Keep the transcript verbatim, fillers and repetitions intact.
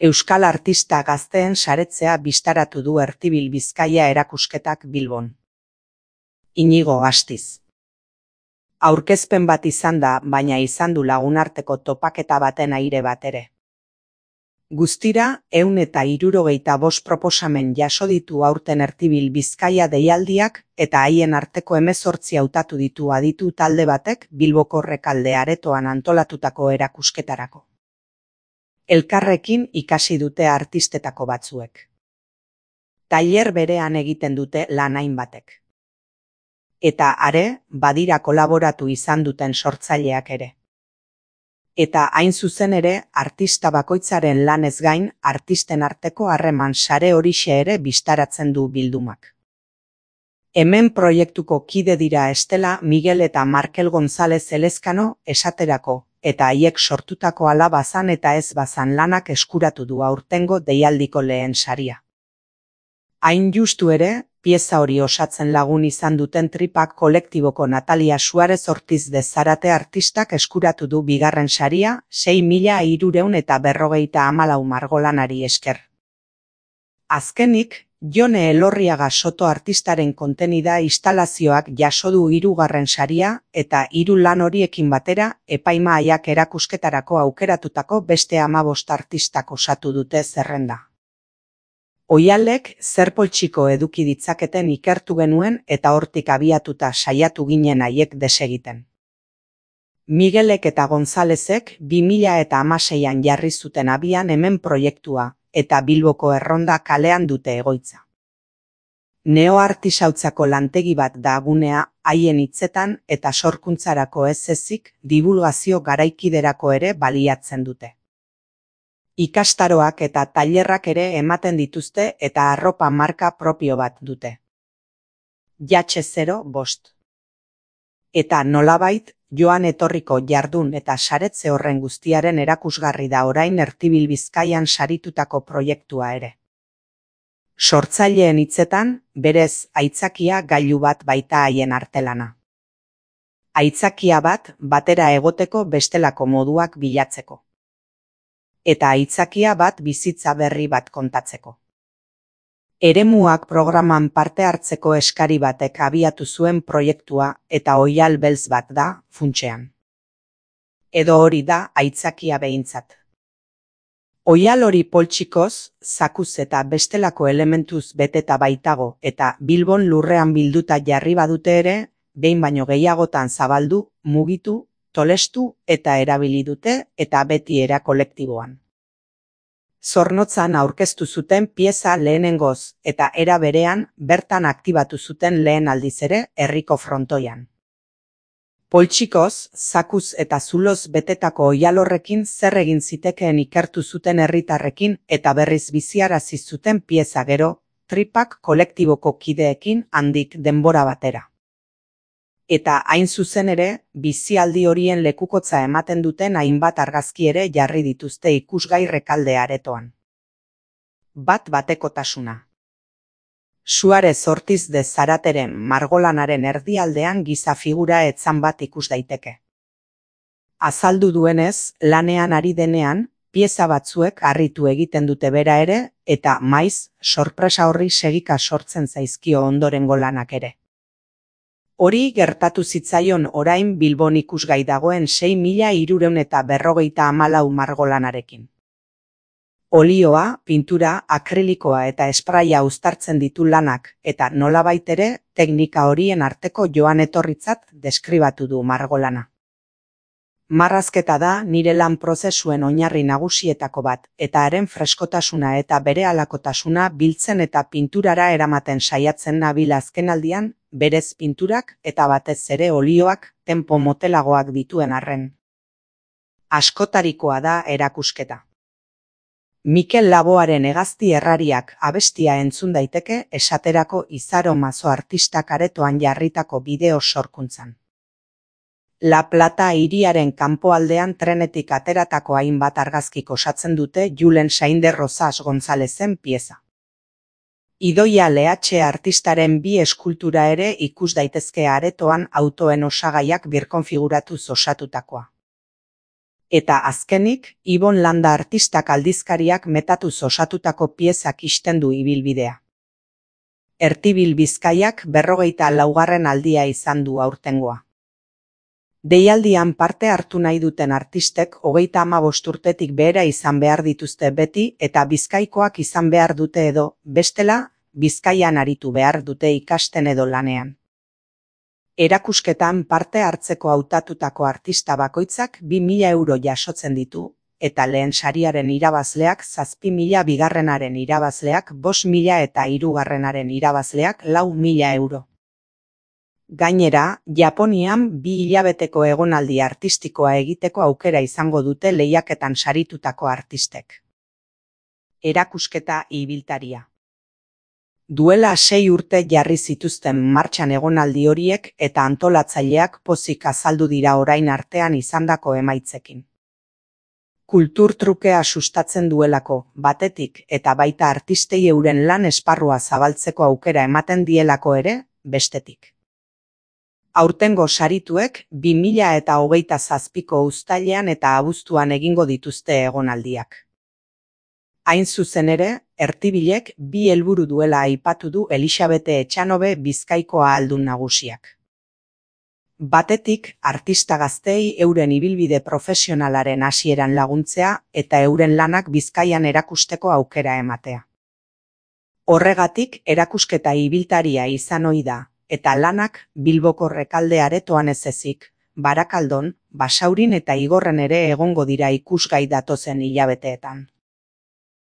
Euskal artista gazteen saretzea bistaratu du Ertibil Bizkaia erakusketak Bilbon. Inigo Astiz. Aurkezpen bat izan da, baina izan du lagunarteko topaketa baten aire bat ere. Guztira, ehun eta hirurogeita bost proposamen jaso ditu aurten Ertibil Bizkaia deialdiak eta haien arteko hemezortzi hautatu ditu aditu talde batek Bilboko Rekalde aretoan antolatutako erakusketarako. Elkarrekin ikasi dute artistetako batzuek. Tailer berean egiten dute lan hainbatek. Eta are, badira kolaboratu izan duten sortzaileak ere. Eta hain zuzen ere, artista bakoitzaren lanez gain, artisten arteko harreman sare horixe ere bistaratzen du bildumak. Hemen proiektuko kide dira Estela, Miguel eta Markel González Elezkano esaterako, eta haiek sortutako ala bazan eta ez bazan lanak eskuratu du aurtengo deialdiko lehen saria. Hain justu ere, pieza hori osatzen lagun izan duten Tripak kolektiboko Natalia Suarez Ortiz de Zarate artistak eskuratu du bigarren saria, sei mila hirurehun eta berrogeita hamalau margolanari esker. Azkenik, Jone Elorriaga Soto artistaren kontenida instalazioak jaso du hirugarren saria eta hiru lan horiekin batera epaimahaiak erakusketarako aukeratutako beste hamabost artistak osatu dute zerrenda. Oihalek zer poltsiko eduki ditzaketen ikertu genuen eta hortik abiatuta saiatu ginen haiek desegiten. Miguelek eta Gonzálezek bi mila eta hamaseian jarri zuten abian hemen proiektua eta Bilboko Erronda kalean dute egoitza. Neo-artisautzako lantegi bat da gunea haien hitzetan eta sorkuntzarako ez ezik divulgazio garaikiderako ere baliatzen dute. Ikastaroak eta tailerrak ere ematen dituzte eta arropa marka propio bat dute. Jatxe zero bost. Eta nolabait, joan etorriko jardun eta saretze horren guztiaren erakusgarri da orain Ertibil Bizkaian saritutako proiektua ere. Sortzaileen hitzetan, berez aitzakia gailu bat baita haien artelana. Aitzakia bat batera egoteko bestelako moduak bilatzeko. Eta aitzakia bat bizitza berri bat kontatzeko. Eremuak programan parte hartzeko eskari batek abiatu zuen proiektua eta oihal beltz bat da, funtsean. Edo hori da aitzakia behintzat. Oihal hori poltsikoz, zakuz eta bestelako elementuz beteta baitago eta Bilbon lurrean bilduta jarri badute ere, behin baino gehiagotan zabaldu, mugitu, tolestu eta erabili dute eta beti era kolektiboan. Zornotzan aurkeztu zuten pieza lehenengoz eta era berean bertan aktibatu zuten lehen aldiz ere herriko frontoian. Poltsikoz, zakuz eta zuloz betetako oihal horrekin zer egin zitekeen ikertu zuten herritarrekin eta berriz biziarazi zuten pieza gero, Tripak kolektiboko kideekin handik denbora batera. Eta hain zuzen ere, bizialdi horien lekukotza ematen duten hainbat argazki ere jarri dituzte ikusgai Rekalde aretoan. Bat batekotasuna. Suarez Ortiz de Zarateren margolanaren erdialdean giza figura etzan bat ikus daiteke. Azaldu duenez, lanean ari denean, pieza batzuek harritu egiten dute bera ere, eta maiz, sorpresa horri segika sortzen zaizkio ondorengo lanak ere. Hori gertatu zitzaion orain Bilbon ikusgai dagoen sei mila hirurehun eta berrogeita hamalau margolanarekin. Olioa, pintura, akrilikoa eta espraia uztartzen ditu lanak eta nolabait ere teknika horien arteko joan etorritzat deskribatu du margolana. Marrazketa da nire lan prozesuen oinarri nagusietako bat eta haren freskotasuna eta berehalakotasuna biltzen eta pinturara eramaten saiatzen nabil azkenaldian, berez pinturak eta batez ere olioak tempo motelagoak dituen arren. Askotarikoa da erakusketa. Mikel Laboaren hegazti errariak abestia entzun daiteke esaterako Izaro Mazo artistak aretoan jarritako bideo sorkuntzan. La Plata hiriaren kanpoaldean trenetik ateratako hainbat argazkik osatzen dute Julen Sainde Rosas Gonzálezen pieza. Idoia Lehatxe artistaren bi eskultura ere ikus daitezke aretoan autoen osagaiak birkonfiguratuz osatutakoa. Eta azkenik, Ibon Landa artistak aldizkariak metatuz osatutako piezak ixten du ibilbidea. Ertibil Bizkaiak berrogeita laugarren aldia izan du aurtengoa. Deialdian parte hartu nahi duten artistek hogeita hamabost urtetik behera izan behar dituzte beti eta Bizkaikoak izan behar dute edo, bestela, Bizkaian aritu behar dute ikasten edo lanean. Erakusketan parte hartzeko hautatutako artista bakoitzak bi mila euro jasotzen ditu, eta lehen sariaren irabazleak zazpi mila, bigarrenaren irabazleak bost mila eta hirugarrenaren irabazleak lau mila euro. Gainera, Japonian bi hilabeteko egonaldi artistikoa egiteko aukera izango dute lehiaketan saritutako artistek. Erakusketa ibiltaria. Duela sei urte jarri zituzten martxan egonaldi horiek eta antolatzaileak pozik azaldu dira orain artean izandako emaitzekin. Kulturtrukea sustatzen duelako, batetik eta baita artistei euren lan esparrua zabaltzeko aukera ematen dielako ere, bestetik. Aurtengo sarituek bi mila eta hogeita zazpiko uztailean eta abuztuan egingo dituzte egonaldiak. Hain zuzen ere, Ertibilek bi helburu duela aipatu du Elixabete Etxanobe Bizkaiko ahaldun nagusiak. Batetik, artista gazteei euren ibilbide profesionalaren hasieran laguntzea eta euren lanak Bizkaian erakusteko aukera ematea. Horregatik, erakusketa ibiltaria izan ohi da, eta lanak Bilboko Rekalde aretoan ez ezik, Barakaldon, Basaurin eta Igorren ere egongo dira ikusgai datozen hilabeteetan.